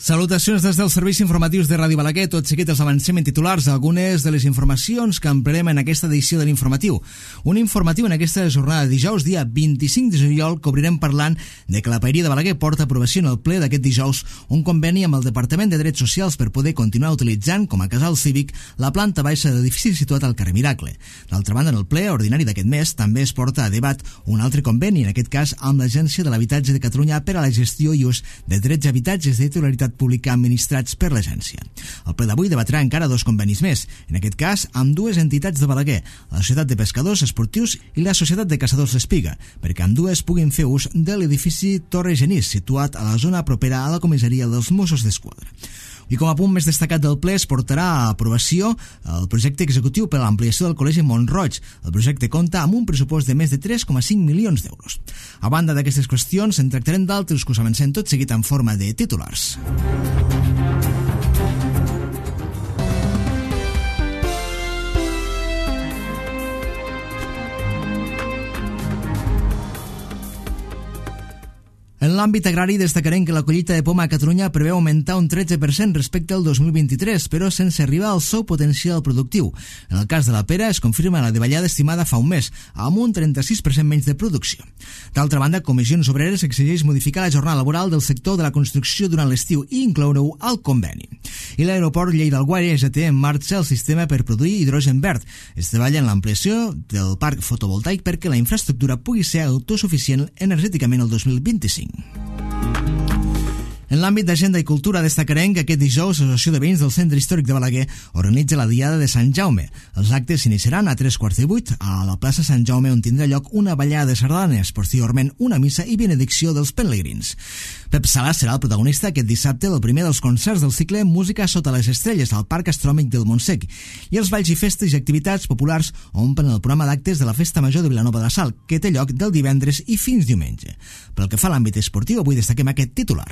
Salutacions des dels serveis informatius de Ràdio Balaguer. Tot seguit els avancem en titulars algunes de les informacions que ampliarem en aquesta edició de l'informatiu. Un informatiu en aquesta jornada de dijous, dia 25 de juliol, que obrirem parlant de que la Paeria de Balaguer porta a aprovació en el ple d'aquest dijous un conveni amb el Departament de Drets Socials per poder continuar utilitzant com a casal cívic la planta baixa de l'edifici situat al carrer Miracle. D'altra banda, en el ple ordinari d'aquest mes també es porta a debat un altre conveni, en aquest cas amb l'Agència de l'Habitatge de Catalunya per a la gestió i ús de drets i habitatges de titularitat pública administrats per l'agència. El ple d'avui debatrà encara dos convenis més, en aquest cas amb dues entitats de Balaguer, la Societat de Pescadors Esportius i la Societat de Caçadors L'Espiga, perquè ambdues puguin fer ús de l'edifici Torre Genís, situat a la zona propera a la comissaria dels Mossos d'Esquadra. I com a punt més destacat del ple es portarà a aprovació el projecte executiu per a l'ampliació del Col·legi Mont-roig. El projecte compta amb un pressupost de més de 3,5 milions d'euros. A banda d'aquestes qüestions, en tractarem d'altres que us avancem tot seguit en forma de titulars. En l'àmbit agrari destacarem que la collita de poma a Catalunya preveu augmentar un 13% respecte al 2023, però sense arribar al seu potencial productiu. En el cas de la pera es confirma la davallada estimada fa un mes, amb un 36% menys de producció. D'altra banda, Comissions Obreres exigeix modificar la jornada laboral del sector de la construcció durant l'estiu i incloure-ho al conveni. I l'aeroport Lleida-Alguaire ja té en marxa el sistema per produir hidrogen verd. Es treballa en l'ampliació del parc fotovoltaic perquè la infraestructura pugui ser autosuficient energèticament el 2025. En l'àmbit d'agenda i cultura destacarem que aquest dijous l'Associació de Veïns del Centre Històric de Balaguer organitza la Diada de Sant Jaume. Els actes s'iniciaran a 3:15 a la plaça Sant Jaume, on tindrà lloc una ballada de sardanes, posteriorment una missa i benedicció dels pelegrins. Pep Sala serà el protagonista aquest dissabte del primer dels concerts del cicle Música sota les estrelles al Parc Astrònomic del Montsec, i els balls i festes i activitats populars omplen el programa d'actes de la Festa Major de Vilanova de la Sal, que té lloc del divendres i fins diumenge. Pel que fa a l'àmbit esportiu, avui destaquem aquest titular.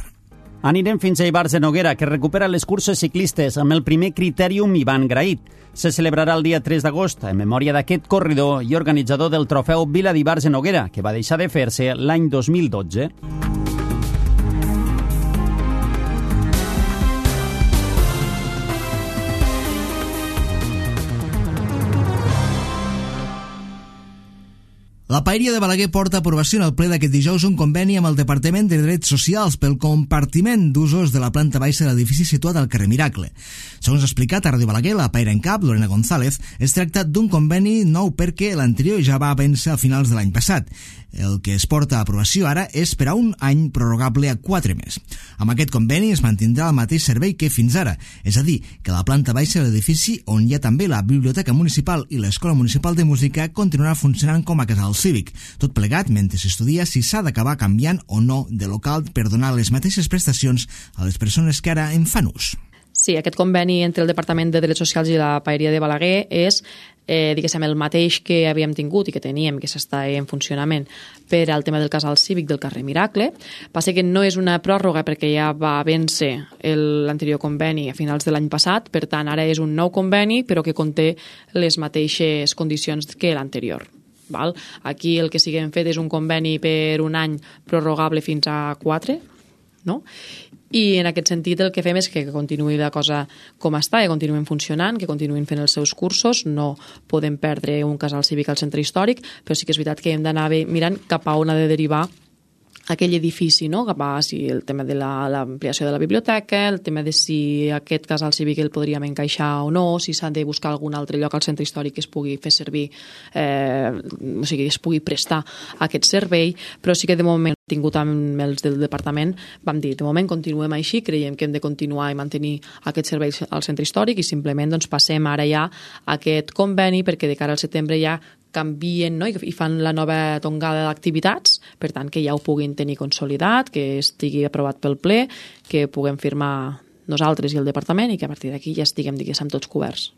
Anirem fins a Ivars de Noguera, que recupera les curses ciclistes amb el primer Critèrium Ivan Graït. Se celebrarà el dia 3 d'agost en memòria d'aquest corredor i organitzador del trofeu Vila d'Ivars de Noguera, que va deixar de fer-se l'any 2012. La Paeria de Balaguer porta a aprovació en el ple d'aquest dijous un conveni amb el Departament de Drets Socials pel compartiment d'usos de la planta baixa de l'edifici situat al carrer Miracle. Segons ha explicat a Ràdio Balaguer, la Paera en cap, Lorena González, es tracta d'un conveni nou perquè l'anterior ja va vèncer a finals de l'any passat. El que es porta a aprovació ara és per a un any prorrogable a 4 més. Amb aquest conveni es mantindrà el mateix servei que fins ara, és a dir, que la planta baixa de l'edifici, on hi ha també la Biblioteca Municipal i l'Escola Municipal de Música, continuarà funcionant com a casal cívic. Tot plegat mentre s'estudia si s'ha d'acabar canviant o no de local per donar les mateixes prestacions a les persones que ara en fan ús. Sí, aquest conveni entre el Departament de Drets Socials i la Paeria de Balaguer és el mateix que havíem tingut i que teníem, que s'està en funcionament per al tema del casal cívic del carrer Miracle. Passa que no és una pròrroga perquè ja va vèncer l'anterior conveni a finals de l'any passat, per tant ara és un nou conveni però que conté les mateixes condicions que l'anterior. Aquí el que sí que hem fet és un conveni per un any prorrogable fins a 4, no? I en aquest sentit el que fem és que continuï la cosa com està, que continuïn funcionant, que continuïn fent els seus cursos. No podem perdre un casal cívic al centre històric, però sí que és veritat que hem d'anar mirant cap a on ha de derivar aquell edifici, no? Cap a si el tema de l'ampliació de la biblioteca, el tema de si aquest casal cívic el podríem encaixar o no, si s'ha de buscar algun altre lloc al centre històric que es pugui fer servir, o sigui, es pugui prestar aquest servei, però sí que de moment tingut amb els del departament vam dir, de moment continuem així, creiem que hem de continuar i mantenir aquest servei al centre històric i simplement passem ara ja a aquest conveni perquè de cara al setembre ja canvien, no? I fan la nova tongada d'activitats, per tant que ja ho puguin tenir consolidat, que estigui aprovat pel ple, que puguem firmar nosaltres i el departament i que a partir d'aquí ja estiguem, diguéssim, tots coberts.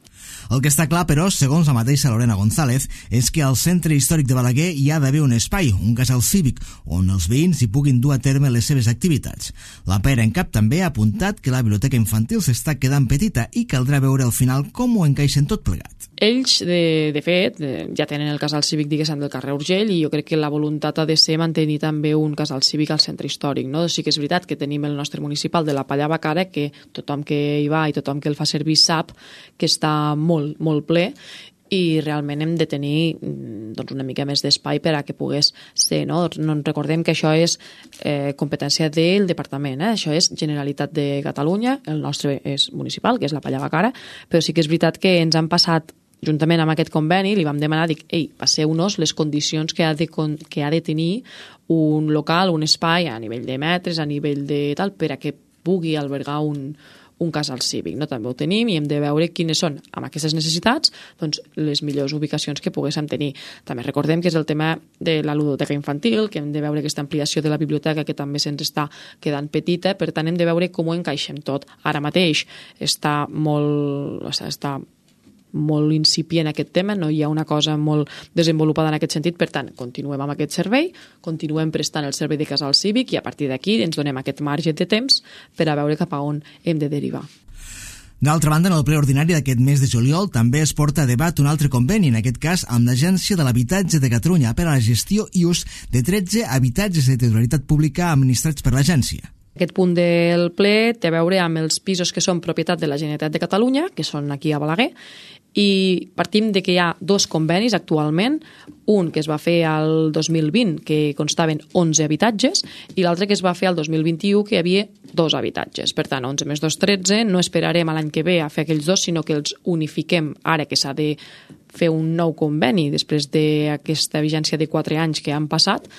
El que està clar, però, segons la mateixa Lorena González, és que al centre històric de Balaguer hi ha d'haver un espai, un casal cívic, on els veïns hi puguin dur a terme les seves activitats. La Paera en cap també ha apuntat que la biblioteca infantil s'està quedant petita i caldrà veure al final com ho encaixen tot plegat. Ells, de fet, ja tenen el casal cívic, diguéssim, del carrer Urgell, i jo crec que la voluntat ha de ser mantenir també un casal cívic al centre històric, no? Sí que és veritat que tenim el nostre municipal de la Palla Bacara, que tothom que hi va i tothom que el fa servir sap que està molt, molt ple, i realment hem de tenir doncs, una mica més d'espai per a que pogués ser, no? No ens recordem que això és competència del departament, això és Generalitat de Catalunya, el nostre és municipal, que és la Palla Bacara, però sí que és veritat que ens han passat, juntament amb aquest conveni, li vam demanar, passeu-nos les condicions que ha de tenir un local, un espai a nivell de metres, a nivell de tal, per a que pugui albergar un casal cívic, no? També ho tenim i hem de veure quines són, amb aquestes necessitats, doncs, les millors ubicacions que poguéssim tenir. També recordem que és el tema de la ludoteca infantil, que hem de veure aquesta ampliació de la biblioteca que també se'ns està quedant petita, per tant hem de veure com ho encaixem tot. Ara mateix està molt incipient aquest tema, no hi ha una cosa molt desenvolupada en aquest sentit, per tant, continuem amb aquest servei, continuem prestant el servei de casal cívic i a partir d'aquí ens donem aquest marge de temps per a veure cap a on hem de derivar. D'altra banda, en el ple ordinari d'aquest mes de juliol també es porta a debat un altre conveni, en aquest cas amb l'Agència de l'Habitatge de Catalunya per a la gestió i ús de 13 habitatges de titularitat pública administrats per l'agència. Aquest punt del ple té a veure amb els pisos que són propietat de la Generalitat de Catalunya, que són aquí a Balaguer, i partim de que hi ha dos convenis actualment, un que es va fer al 2020, que constaven 11 habitatges, i l'altre que es va fer al 2021, que hi havia 2 habitatges. Per tant, 11 més 2, 13, no esperarem a l'any que ve a fer aquells dos, sinó que els unifiquem ara que s'ha de fer un nou conveni després d'aquesta vigència de 4 anys que han passat,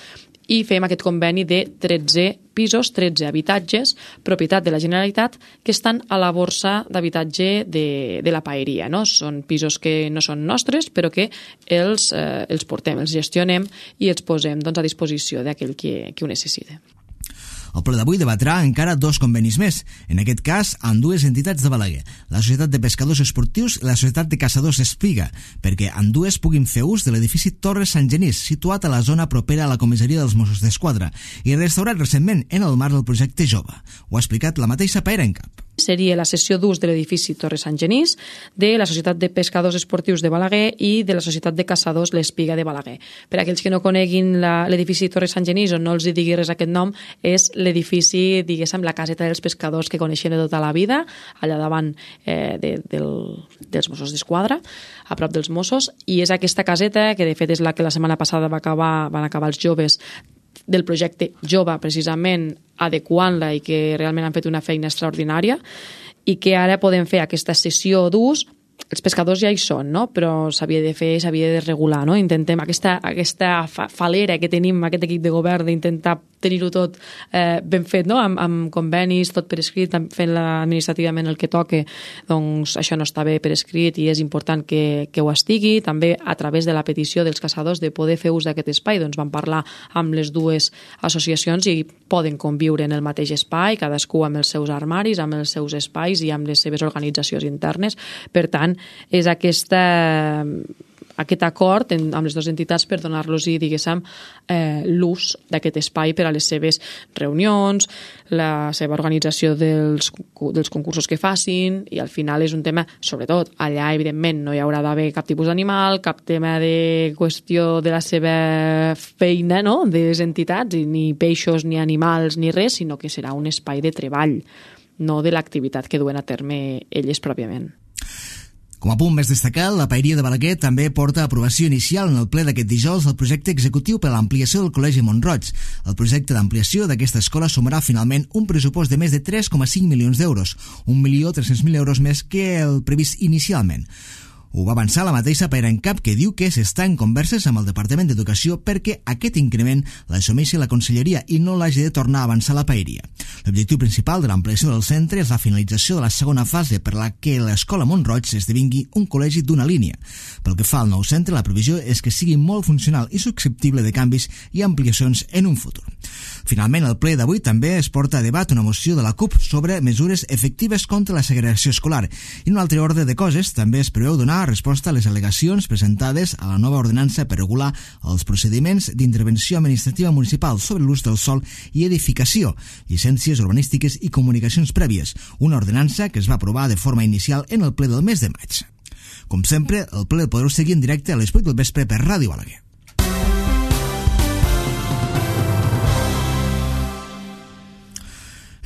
i fem aquest conveni de 13 pisos, 13 habitatges, propietat de la Generalitat, que estan a la borsa d'habitatge de la paeria, no? Són pisos que no són nostres, però que els portem, els gestionem i els posem doncs, a disposició d'aquell que ho necessita. El ple d'avui debatrà encara 2 convenis més, en aquest cas amb 2 entitats de Balaguer, la Societat de Pescadors Esportius i la Societat de Caçadors Espiga, perquè ambdues puguin fer ús de l'edifici Torres Sant Genís, situat a la zona propera a la comissaria dels Mossos d'Esquadra i restaurat recentment en el marc del projecte Jove. Ho ha explicat la mateixa Paera en Cap. Seria la cessió d'ús de l'edifici Torres Sant Genís, de la Societat de Pescadors Esportius de Balaguer i de la Societat de Caçadors l'Espiga de Balaguer. Per a aquells que no coneguin l'edifici Torres Sant Genís o no els digui res aquest nom, és l'edifici, diguéssim, la caseta dels pescadors que coneixem de tota la vida, allà davant dels Mossos d'Esquadra, a prop dels Mossos, i és aquesta caseta, que de fet és la que la setmana passada van acabar els joves del projecte Jove, precisament adequant-la i que realment han fet una feina extraordinària i que ara podem fer aquesta sessió d'ús. Els pescadors ja hi són, no? Però s'havia de fer, s'havia de regular, no? Intentem aquesta falera que tenim, aquest equip de govern, d'intentar tenir-ho tot ben fet, no? Amb convenis, tot per escrit, fent administrativament el que toque, doncs això no està bé per escrit i és important que ho estigui. També a través de la petició dels caçadors de poder fer ús d'aquest espai, doncs vam parlar amb les 2 associacions i poden conviure en el mateix espai, cadascú amb els seus armaris, amb els seus espais i amb les seves organitzacions internes. Per tant, és aquest acord amb les 2 entitats per donar-los, diguéssim, l'ús d'aquest espai per a les seves reunions, la seva organització dels concursos que facin, i al final és un tema, sobretot, allà evidentment no hi haurà d'haver cap tipus d'animal, cap tema de qüestió de la seva feina, no?, de les entitats, ni peixos, ni animals, ni res, sinó que serà un espai de treball, no de l'activitat que duen a terme elles pròpiament. Com a punt més destacat, la Paeria de Balaguer també porta a aprovació inicial en el ple d'aquest dijous el projecte executiu per a l'ampliació del Col·legi Mont-roig. El projecte d'ampliació d'aquesta escola sumarà finalment un pressupost de més de 3,5 milions d'euros, 1.300.000 euros més que el previst inicialment. Ho va avançar la mateixa Paera en Cap, que diu que s'està en converses amb el Departament d'Educació perquè aquest increment l'assumeixi la Conselleria i no l'hagi de tornar a avançar la Paeria. L'objectiu principal de l'ampliació del centre és la finalització de la segona fase per la que l'escola Mont-roig esdevingui un col·legi d'una línia. Pel que fa al nou centre, la previsió és que sigui molt funcional i susceptible de canvis i ampliacions en un futur. Finalment, el ple d'avui també es porta a debat una moció de la CUP sobre mesures efectives contra la segregació escolar. I en un altre ordre de coses, també es preveu donar resposta a les al·legacions presentades a la nova ordenança per regular els procediments d'intervenció administrativa municipal sobre l'ús del sòl i edificació, llicències urbanístiques i comunicacions prèvies, una ordenança que es va aprovar de forma inicial en el ple del mes de maig. Com sempre, el ple el podreu seguir en directe a les 8 del vespre per Ràdio Balaguer.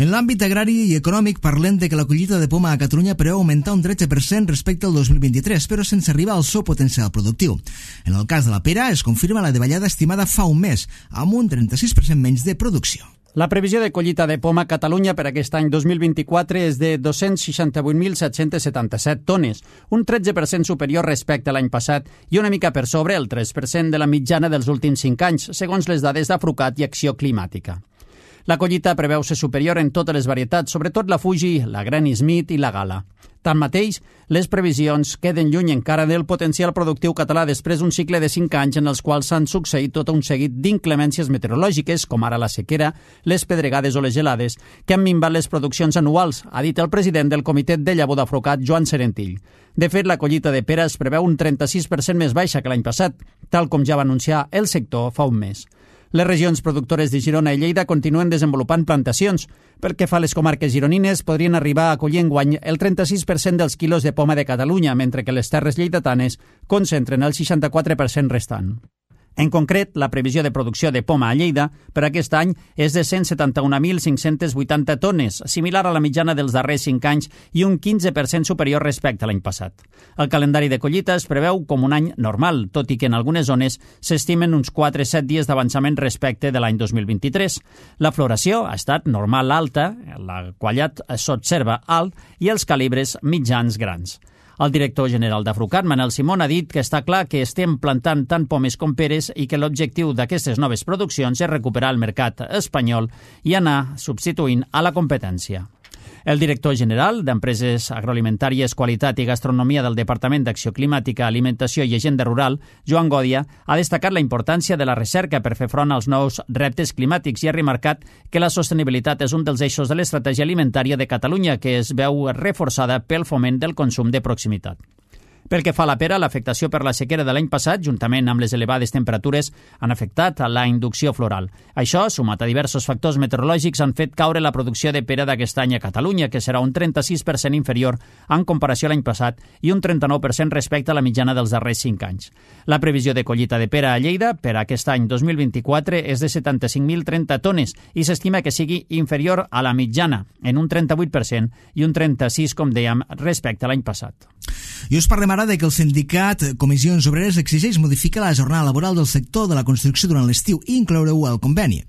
En l'àmbit agrari i econòmic parlem de que la collita de poma a Catalunya preveu augmentar un 13% respecte al 2023, però sense arribar al seu potencial productiu. En el cas de la pera es confirma la davallada estimada fa un mes, amb un 36% menys de producció. La previsió de collita de poma a Catalunya per aquest any 2024 és de 268.777 tones, un 13% superior respecte a l'any passat i una mica per sobre el 3% de la mitjana dels últims 5 anys, segons les dades d'Afrucat i Acció Climàtica. La collita preveu ser superior en totes les varietats, sobretot la Fuji, la Granny Smith i la Gala. Tanmateix, les previsions queden lluny encara del potencial productiu català després d'un cicle de 5 anys en els quals s'han succeït tot un seguit d'inclemències meteorològiques, com ara la sequera, les pedregades o les gelades, que han minvat les produccions anuals, ha dit el president del Comitè de Llavor d'Afrucat, Joan Serentill. De fet, la collita de pera es preveu un 36% més baixa que l'any passat, tal com ja va anunciar el sector fa un mes. Les regions productores de Girona i Lleida continuen desenvolupant plantacions. Pel que fa a les comarques gironines, podrien arribar a collir enguany el 36% dels quilos de poma de Catalunya, mentre que les terres lleidatanes concentren el 64% restant. En concret, la previsió de producció de poma a Lleida per aquest any és de 171.580 tones, similar a la mitjana dels darrers 5 anys i un 15% superior respecte a l'any passat. El calendari de collita es preveu com un any normal, tot i que en algunes zones s'estimen uns 4-7 dies d'avançament respecte de l'any 2023. La floració ha estat normal alta, la qualitat s'observa alt i els calibres mitjans grans. El director general d'Afrucat, Manel Simón, ha dit que està clar que estem plantant tant pomes com peres i que l'objectiu d'aquestes noves produccions és recuperar el mercat espanyol i anar substituint a la competència. El director general d'Empreses Agroalimentàries, Qualitat i Gastronomia del Departament d'Acció Climàtica, Alimentació i Agenda Rural, Joan Gòdia, ha destacat la importància de la recerca per fer front als nous reptes climàtics i ha remarcat que la sostenibilitat és un dels eixos de l'estratègia alimentària de Catalunya, que es veu reforçada pel foment del consum de proximitat. Pel que fa a la pera, l'afectació per la sequera de l'any passat, juntament amb les elevades temperatures, han afectat a la inducció floral. Això, sumat a diversos factors meteorològics, han fet caure la producció de pera d'aquest any a Catalunya, que serà un 36% inferior en comparació a l'any passat i un 39% respecte a la mitjana dels darrers 5 anys. La previsió de collita de pera a Lleida per a aquest any 2024 és de 75.030 tones i s'estima que sigui inferior a la mitjana, en un 38% i un 36%, com dèiem, respecte a l'any passat. I us parlem ara de que el sindicat Comissions Obreres exigeix modificar la jornada laboral del sector de la construcció durant l'estiu i incloure-ho al conveni.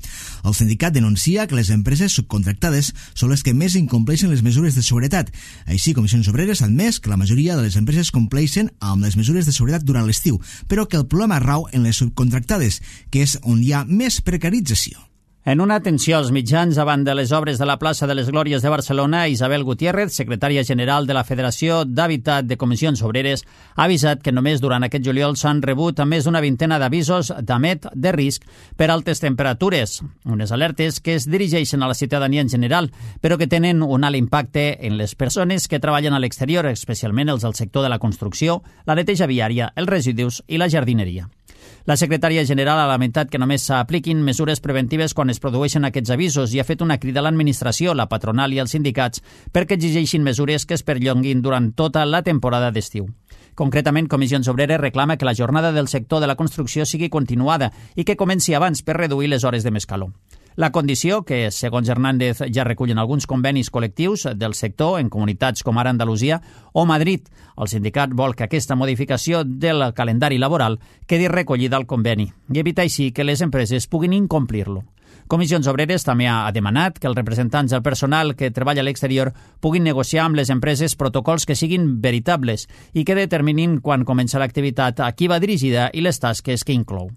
El sindicat denuncia que les empreses subcontractades són les que més incompleixen les mesures de seguretat. Així, Comissions Obreres ha admès que la majoria de les empreses compleixen amb les mesures de seguretat durant l'estiu, però que el problema rau en les subcontractades, que és on hi ha més precarització. En una atenció als mitjans davant de les obres de la plaça de les Glòries de Barcelona, Isabel Gutiérrez, secretària general de la Federació d'Hàbitat de Comissions Obreres, ha avisat que només durant aquest juliol s'han rebut més d'una vintena d'avisos d'emet de risc per altes temperatures, unes alertes que es dirigeixen a la ciutadania en general, però que tenen un alt impacte en les persones que treballen a l'exterior, especialment els del sector de la construcció, la neteja viària, els residus i la jardineria. La secretària general ha lamentat que només s'apliquin mesures preventives quan es produeixen aquests avisos i ha fet una crida a l'administració, la patronal i els sindicats perquè exigeixin mesures que es perllonguin durant tota la temporada d'estiu. Concretament, Comissions Obreres reclama que la jornada del sector de la construcció sigui continuada i que comenci abans per reduir les hores de més calor. La condició, que segons Hernández ja recullen alguns convenis col·lectius del sector en comunitats com ara Andalusia o Madrid. El sindicat vol que aquesta modificació del calendari laboral quedi recollida al conveni i evita així que les empreses puguin incomplir-lo. Comissions Obreres també ha demanat que els representants del personal que treballa a l'exterior puguin negociar amb les empreses protocols que siguin veritables i que determinin quan comença l'activitat, a qui va dirigida i les tasques que inclou.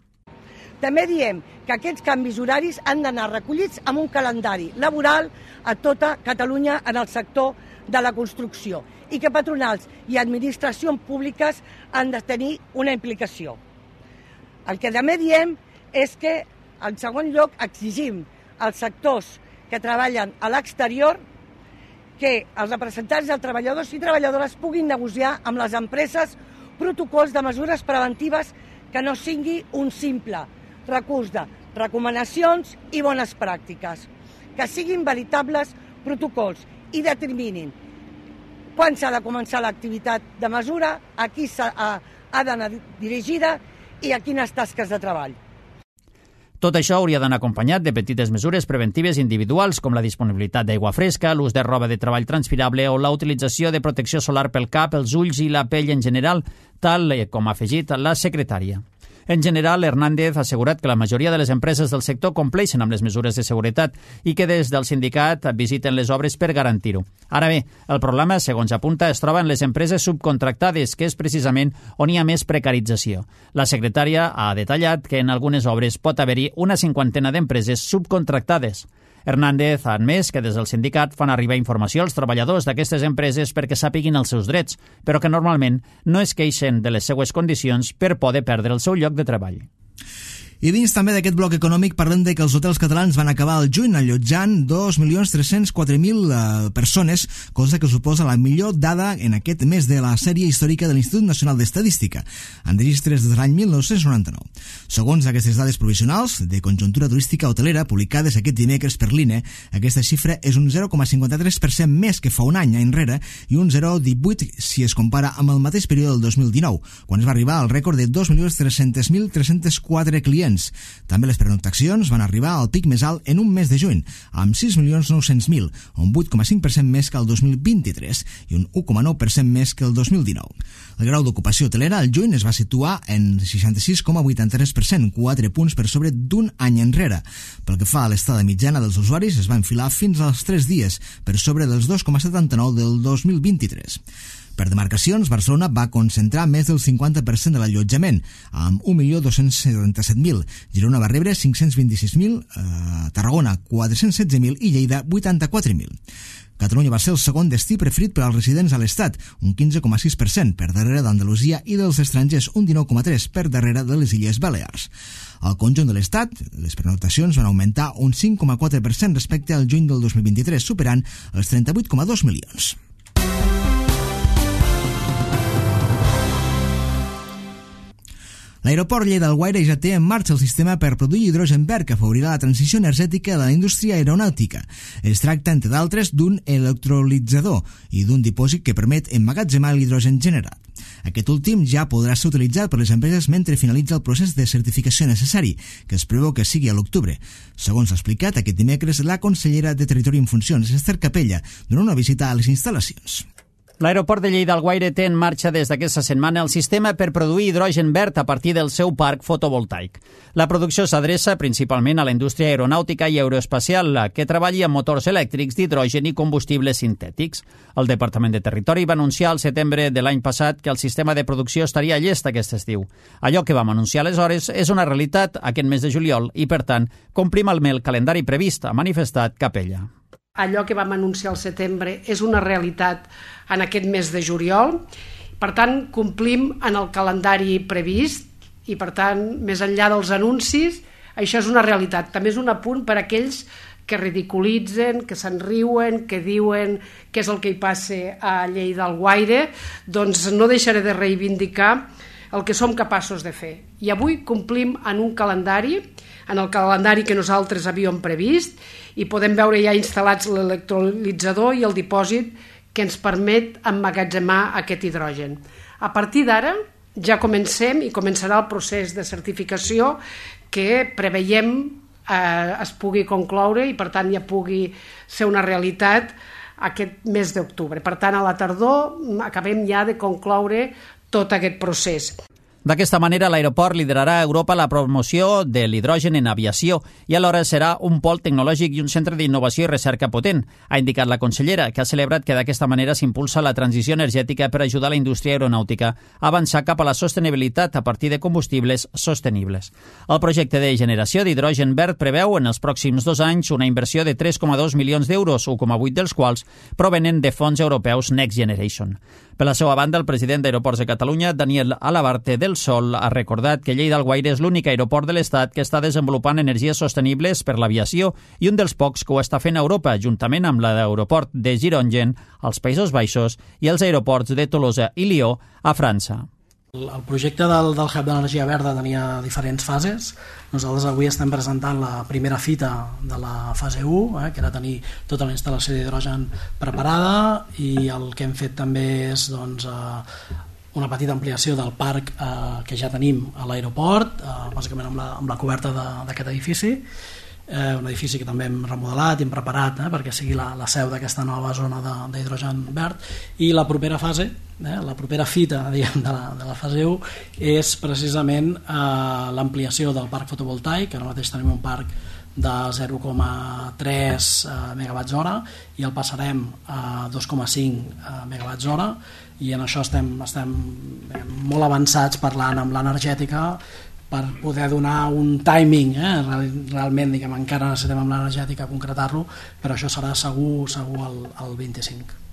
També diem que aquests canvis horaris han d'anar recollits amb un calendari laboral a tota Catalunya en el sector de la construcció i que patronals i administracions públiques han de tenir una implicació. El que també diem és que, en segon lloc, exigim als sectors que treballen a l'exterior que els representants dels treballadors i treballadores puguin negociar amb les empreses protocols de mesures preventives que no sigui un simple recurs de recomanacions i bones pràctiques, que siguin veritables protocols i determinin quan s'ha de començar l'activitat de mesura, a qui ha d'anar dirigida i a quines tasques de treball. Tot això hauria d'anar acompanyat de petites mesures preventives individuals com la disponibilitat d'aigua fresca, l'ús de roba de treball transpirable o la utilització de protecció solar pel cap, els ulls i la pell en general, tal com ha afegit la secretària. En general, Hernández ha assegurat que la majoria de les empreses del sector compleixen amb les mesures de seguretat i que des del sindicat visiten les obres per garantir-ho. Ara bé, el problema, segons apunta, es troba en les empreses subcontractades, que és precisament on hi ha més precarització. La secretària ha detallat que en algunes obres pot haver-hi una 50 d'empreses subcontractades. Hernández ha admès que des del sindicat fan arribar informació als treballadors d'aquestes empreses perquè sàpiguin els seus drets, però que normalment no es queixen de les seues condicions per poder perdre el seu lloc de treball. I dins també d'aquest bloc econòmic parlem de que els hotels catalans van acabar el juny allotjant 2.304.000 persones, cosa que suposa la millor dada en aquest mes de la sèrie històrica de l'Institut Nacional d'Estadística, en registres des de l'any 1999. Segons aquestes dades provisionals de conjuntura turística hotelera publicades aquest dimecres per l'INE, aquesta xifra és un 0,53% més que fa un any enrere i un 0,18% si es compara amb el mateix període del 2019, quan es va arribar al rècord de 2.300.304 clients. També les pernoctacions van arribar al pic més alt en un mes de juny, amb 6.900.000, un 8,5% més que el 2023 i un 1,9% més que el 2019. El grau d'ocupació hotelera al juny es va situar en 66,83%, 4 punts per sobre d'un any enrere. Pel que fa a l'estada mitjana dels usuaris, es va enfilar fins als 3 dies, per sobre dels 2,79 del 2023. Per demarcacions, Barcelona va concentrar més del 50% de l'allotjament, amb 1.277.000. Girona va rebre 526.000, Tarragona 416.000 i Lleida 84.000. Catalunya va ser el segon destí preferit per als residents a l'Estat, un 15,6%, per darrere d'Andalusia i dels estrangers, un 19,3% per darrere de les Illes Balears. Al conjunt de l'Estat, les pernoctacions van augmentar un 5,4% respecte al juny del 2023, superant els 38,2 milions. L'aeroport Lleida-Alguaire ja té en marxa el sistema per produir hidrogen verd que afavorirà la transició energètica de la indústria aeronàutica. Es tracta, entre d'altres, d'un electrolitzador i d'un dipòsit que permet emmagatzemar l'hidrogen generat. Aquest últim ja podrà ser utilitzat per les empreses mentre finalitza el procés de certificació necessari, que es preveu que sigui a l'octubre. Segons ha explicat aquest dimecres la consellera de Territori en Funcions, Esther Capella, durant una visita a les instal·lacions. L'aeroport de Lleida-Alguaire té en marxa des d'aquesta setmana el sistema per produir hidrogen verd a partir del seu parc fotovoltaic. La producció s'adreça principalment a la indústria aeronàutica i aeroespacial, que treballa amb motors elèctrics d'hidrogen i combustibles sintètics. El Departament de Territori va anunciar al setembre de l'any passat que el sistema de producció estaria llest aquest estiu. Allò que vam anunciar aleshores és una realitat aquest mes de juliol i, per tant, complim el calendari previst, ha manifestat Capella. Allò que vam anunciar al setembre és una realitat en aquest mes de juliol. Per tant, complim en el calendari previst i, per tant, més enllà dels anuncis, això és una realitat. També és un apunt per a aquells que ridiculitzen, que se'n riuen, que diuen què és el que hi passa a Lleida-Alguaire, doncs no deixaré de reivindicar el que som capaços de fer. I avui complim en un calendari, en el calendari que nosaltres havíem previst, i podem veure ja instal·lats l'electrolitzador i el dipòsit que ens permet emmagatzemar aquest hidrogen. A partir d'ara ja comencem i començarà el procés de certificació que preveiem es pugui concloure i per tant ja pugui ser una realitat aquest mes d'octubre. Per tant, a la tardor acabem ja de concloure tot aquest procés. D'aquesta manera, l'aeroport liderarà a Europa la promoció de l'hidrogen en aviació i alhora serà un pol tecnològic i un centre d'innovació i recerca potent, ha indicat la consellera, que ha celebrat que d'aquesta manera s'impulsa la transició energètica per ajudar la indústria aeronàutica a avançar cap a la sostenibilitat a partir de combustibles sostenibles. El projecte de generació d'hidrogen verd preveu en els pròxims 2 anys una inversió de 3,2 milions d'euros, 1,8 dels quals provenen de fons europeus Next Generation. Per la seva banda, el president d'Aeroports de Catalunya, Daniel Alabarte del Sol, ha recordat que Lleida-Alguaire és l'únic aeroport de l'Estat que està desenvolupant energies sostenibles per l'aviació i un dels pocs que ho està fent a Europa, juntament amb l'aeroport de Girongen, als Països Baixos, i els aeroports de Tolosa i Lió, a França. El projecte del Hub d'Energia Verda tenia diferents fases. Nosaltres avui estem presentant la primera fita de la fase 1, que era tenir tota la instal·lació d'hidrogen preparada, i el que hem fet també és una petita ampliació del parc que ja tenim a l'aeroport, bàsicament amb la coberta d'aquest edifici, un edifici que també hem remodelat i hem preparat perquè sigui la seu d'aquesta nova zona d'hidrogen verd. I la propera fase, la propera fita de la fase 1 és precisament l'ampliació del parc fotovoltaic. Ara mateix tenim un parc de 0,3 megawatts hora i el passarem a 2,5 megawatts hora, i en això estem molt avançats parlant amb l'energètica per poder donar un timing, realment encara necessitem amb l'energètica concretar-lo, però això serà segur el 25.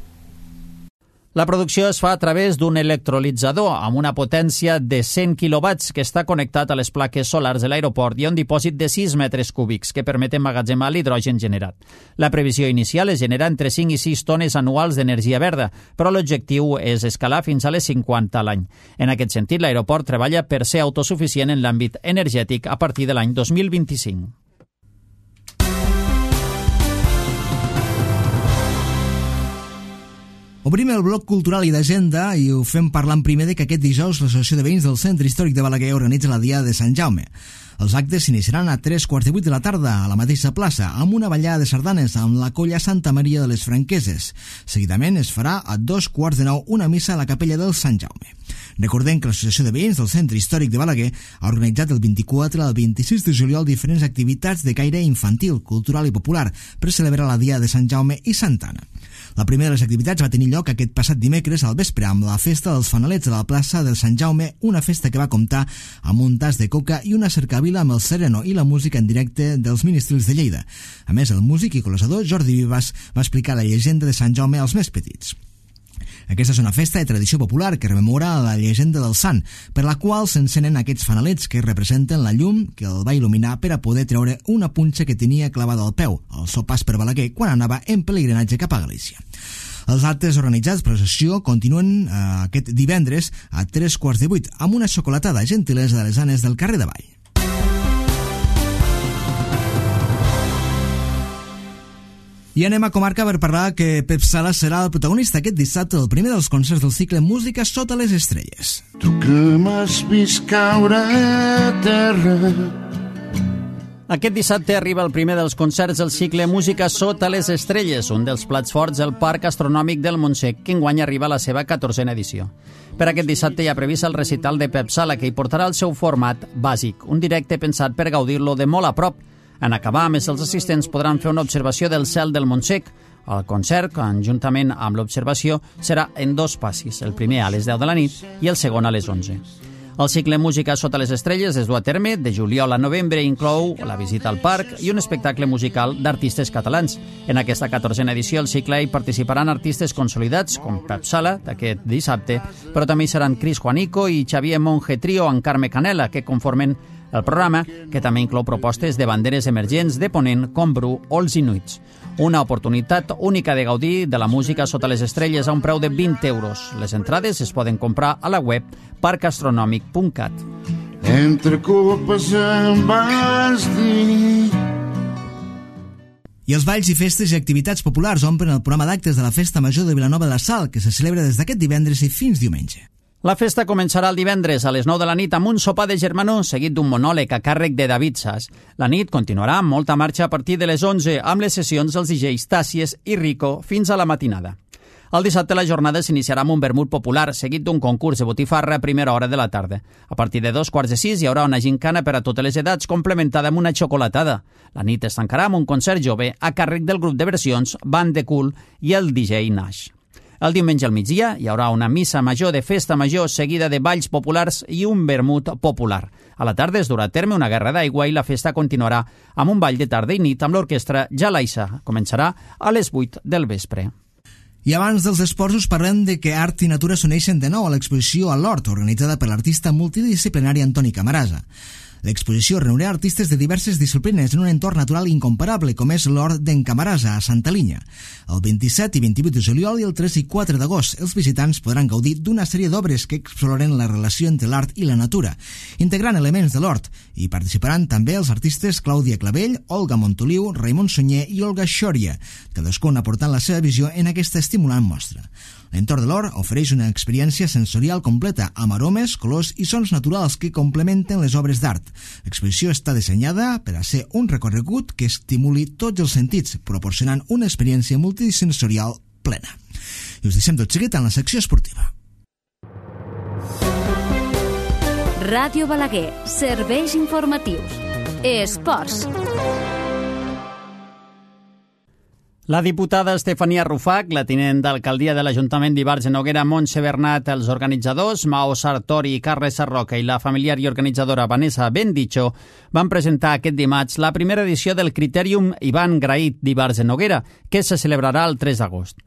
La producció es fa a través d'un electrolitzador amb una potència de 100 quilowatts que està connectat a les plaques solars de l'aeroport i a un dipòsit de 6 metres cúbics que permet emmagatzemar l'hidrogen generat. La previsió inicial és generar entre 5 i 6 tones anuals d'energia verda, però l'objectiu és escalar fins a les 50 a l'any. En aquest sentit, l'aeroport treballa per ser autosuficient en l'àmbit energètic a partir de l'any 2025. Obrim el bloc cultural i d'agenda i ho fem parlant primer de que aquest dijous l'Associació de Veïns del Centre Històric de Balaguer organitza la Diada de Sant Jaume. Els actes s'iniciaran a 3:15 de la tarda a la mateixa plaça amb una ballada de sardanes amb la colla Santa Maria de les Franqueses. Seguidament es farà a 8:45 una missa a la capella del Sant Jaume. Recordem que l'Associació de Veïns del Centre Històric de Balaguer ha organitzat el 24 al 26 de juliol diferents activitats de caire infantil, cultural i popular per celebrar la Diada de Sant Jaume i Santa Anna. La primera de les activitats va tenir lloc aquest passat dimecres al vespre amb la festa dels fanalets a la plaça del Sant Jaume, una festa que va comptar amb un tas de coca i una cercavila amb el sereno i la música en directe dels Ministrils de Lleida. A més, el músic i col·lasador Jordi Vivas va explicar la llegenda de Sant Jaume als més petits. Aquesta és una festa de tradició popular que rememora la llegenda del sant, per la qual s'encenen aquests fanalets que representen la llum que el va il·luminar per a poder treure una punxa que tenia clavada al peu, al seu pas per Balaguer, quan anava en pelegrinatge cap a Galícia. Els actes organitzats per l'associació continuen aquest divendres a 7:15 amb una xocolatada gentilesa de les Anes del carrer de Vall. I anem a comarca per parlar que Pep Sala serà el protagonista aquest dissabte del primer dels concerts del cicle Música sota les estrelles. Tu que m'has vist caure a terra. Aquest dissabte arriba el primer dels concerts del cicle Música sota les estrelles, un dels plats forts del Parc Astronòmic del Montsec, que enguany arriba a la seva 14a edició. Per aquest dissabte hi ha previst el recital de Pep Sala, que hi portarà el seu format bàsic, un directe pensat per gaudir-lo de molt a prop. En acabar, més els assistents podran fer una observació del cel del Montsec. El concert, conjuntament amb l'observació, serà en 2 passis, el primer a les 10 de la nit i el segon a les 11. El cicle Música sota les estrelles es du a terme de juliol a novembre i inclou la visita al parc i un espectacle musical d'artistes catalans. En aquesta 14a edició el cicle hi participaran artistes consolidats com Pep Sala, d'aquest dissabte, però també hi seran Cris Juanico i Xavier Monge Trio amb Carme Canela, que conformen el programa, que també inclou propostes de banderes emergents de Ponent com Bru o els Inuits. Una oportunitat única de gaudir de la música sota les estrelles a un preu de 20 euros. Les entrades es poden comprar a la web parcastronòmic.cat. Entre copes em vas dir. I els balls i festes i activitats populars omplen el programa d'actes de la Festa Major de Vilanova de la Sal, que se celebra des d'aquest divendres i fins diumenge. La festa començarà el divendres a les 9 de la nit amb un sopar de germanor seguit d'un monòleg a càrrec de David Sas. La nit continuarà amb molta marxa a partir de les 11 amb les sessions dels DJs Tàcies i Rico fins a la matinada. El dissabte la jornada s'iniciarà amb un vermut popular seguit d'un concurs de botifarra a primera hora de la tarda. A partir de 2:45 hi haurà una gincana per a totes les edats complementada amb una xocolatada. La nit es tancarà amb un concert jove a càrrec del grup de versions Band de Cool i el DJ Nash. El diumenge al migdia hi haurà una missa major de festa major seguida de balls populars i un vermut popular. A la tarda es durà a terme una guerra d'aigua i la festa continuarà amb un ball de tarda i nit amb l'orquestra Jalaissa. Començarà a les 8 del vespre. I abans dels esports us parlem de que art i natura s'uneixen de nou a l'exposició a l'Hort, organitzada per l'artista multidisciplinari Antoni Camarasa. L'exposició reunirà artistes de diverses disciplines en un entorn natural incomparable, com és l'Hort d'en Camarasa, a Santa Linya. El 27 i 28 de juliol i el 3 i 4 d'agost, els visitants podran gaudir d'una sèrie d'obres que exploren la relació entre l'art i la natura, integrant elements de l'hort, i participaran també els artistes Clàudia Clavell, Olga Montoliu, Raimon Sunyer i Olga Xòria, cadascun aportant la seva visió en aquesta estimulant mostra. L'entorn de l'hort ofereix una experiència sensorial completa, amb aromes, colors i sons naturals que complementen les obres d'art. L'exposició està dissenyada per a ser un recorregut que estimuli tots els sentits, proporcionant una experiència multisensorial plena. I us deixem tot seguit en la secció esportiva. Ràdio Balaguer, serveis informatius. Esports. La diputada Estefania Rufac, la tinent d'alcaldia de l'Ajuntament d'Ivars de Noguera, Montse Bernat, els organitzadors, Mao Sartori, Carles Sarroca i la familiar i organitzadora Vanessa Bendicho van presentar aquest dimarts la primera edició del Critèrium Ivan Graït d'Ivars de Noguera, que se celebrarà el 3 d'agost.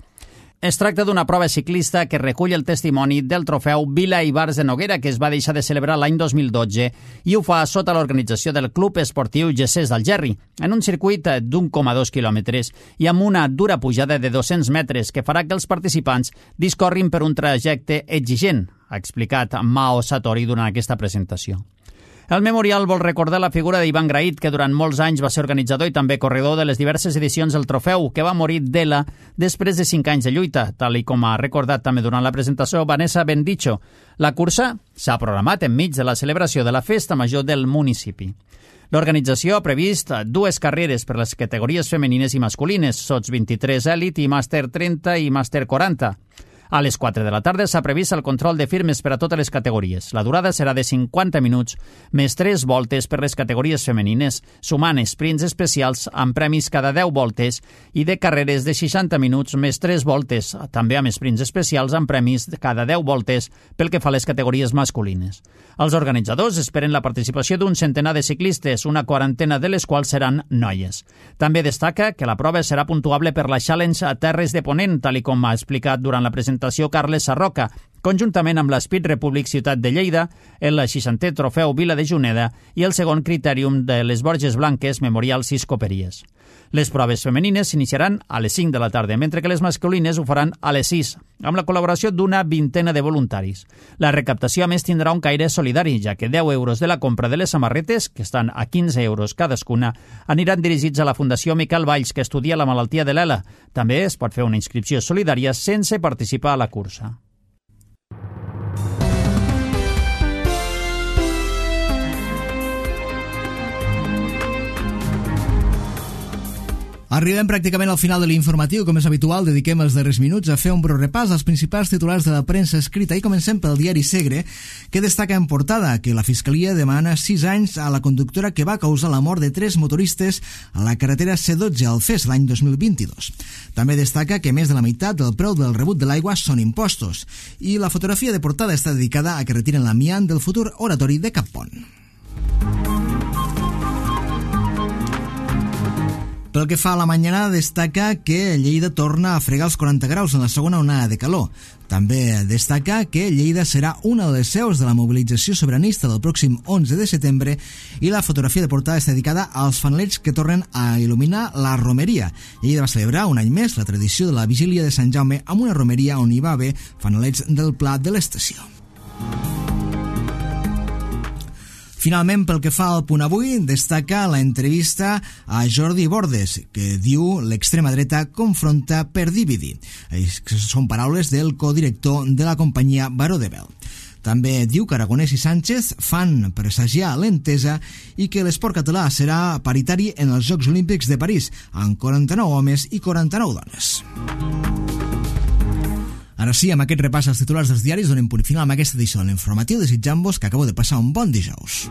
Es tracta d'una prova ciclista que recull el testimoni del trofeu Vila Ivars de Noguera, que es va deixar de celebrar l'any 2012 i ho fa sota l'organització del Club Esportiu Gessés d'Algerri, en un circuit d'1,2 quilòmetres i amb una dura pujada de 200 metres que farà que els participants discorrin per un trajecte exigent, ha explicat Mao Sartori durant aquesta presentació. El memorial vol recordar la figura d'Ivan Graït, que durant molts anys va ser organitzador i també corredor de les diverses edicions del trofeu, que va morir d'ELA després de 5 anys de lluita, tal i com ha recordat també durant la presentació Vanessa Bendicho. La cursa s'ha programat enmig de la celebració de la festa major del municipi. L'organització ha previst 2 carreres per les categories femenines i masculines, Sots 23 Elite i Màster 30 i Màster 40. A les 4 de la tarda s'ha previst el control de firmes per a totes les categories. La durada serà de 50 minuts, més 3 voltes per les categories femenines, sumant sprints especials amb premis cada 10 voltes i de carreres de 60 minuts més 3 voltes, també amb sprints especials amb premis cada 10 voltes pel que fa a les categories masculines. Els organitzadors esperen la participació d'un centenar de ciclistes, una quarantena de les quals seran noies. També destaca que la prova serà puntuable per la Challenge a Terres de Ponent, tal i com ha explicat durant la presentació Carles Sarroca, conjuntament amb l'Speed Republic Ciutat de Lleida, el 60è Trofeu Vila de Juneda i el segon Critèrium de les Borges Blanques Memorial 6 Coperies. Les proves femenines s'iniciaran a les 5 de la tarda, mentre que les masculines ho faran a les 6, amb la col·laboració d'una vintena de voluntaris. La recaptació, a més, tindrà un caire solidari, ja que 10 euros de la compra de les samarretes, que estan a 15 euros cadascuna, aniran dirigits a la Fundació Miquel Valls, que estudia la malaltia de l'ELA. També es pot fer una inscripció solidària sense participar a la cursa. Arribem pràcticament al final de l'informatiu. Com és habitual, dediquem els darrers minuts a fer un breu repàs als principals titulars de la premsa escrita i comencem pel diari Segre, que destaca en portada que la Fiscalia demana 6 anys a la conductora que va causar la mort de 3 motoristes a la carretera C12 al FES l'any 2022. També destaca que més de la meitat del preu del rebut de l'aigua són impostos i la fotografia de portada està dedicada a que retiren l'amiant del futur oratori de Cappont. Pel que fa a la mañana, destaca que Lleida torna a fregar els 40 graus en la segona onada de calor. També destaca que Lleida serà una de les seus de la mobilització sobiranista del pròxim 11 de setembre i la fotografia de portada està dedicada als fanalets que tornen a il·luminar la romeria. Lleida va celebrar un any més la tradició de la vigília de Sant Jaume amb una romeria on hi va haver fanalets del Pla de l'Estació. Finalment, pel que fa al punt avui, destaca la entrevista a Jordi Bordes, que diu l'extrema dreta confronta per dividir. Són paraules del codirector de la companyia Baró de Bel. També diu que Aragonès i Sánchez fan presagiar l'entesa i que l'esport català serà paritari en els Jocs Olímpics de París, amb 49 homes i 49 dones. Ara sí, amb aquest repàs als titulars dels diaris donem punt final amb aquesta edició de l'informatiu, desitjant-vos que acabeu de passar un bon dijous.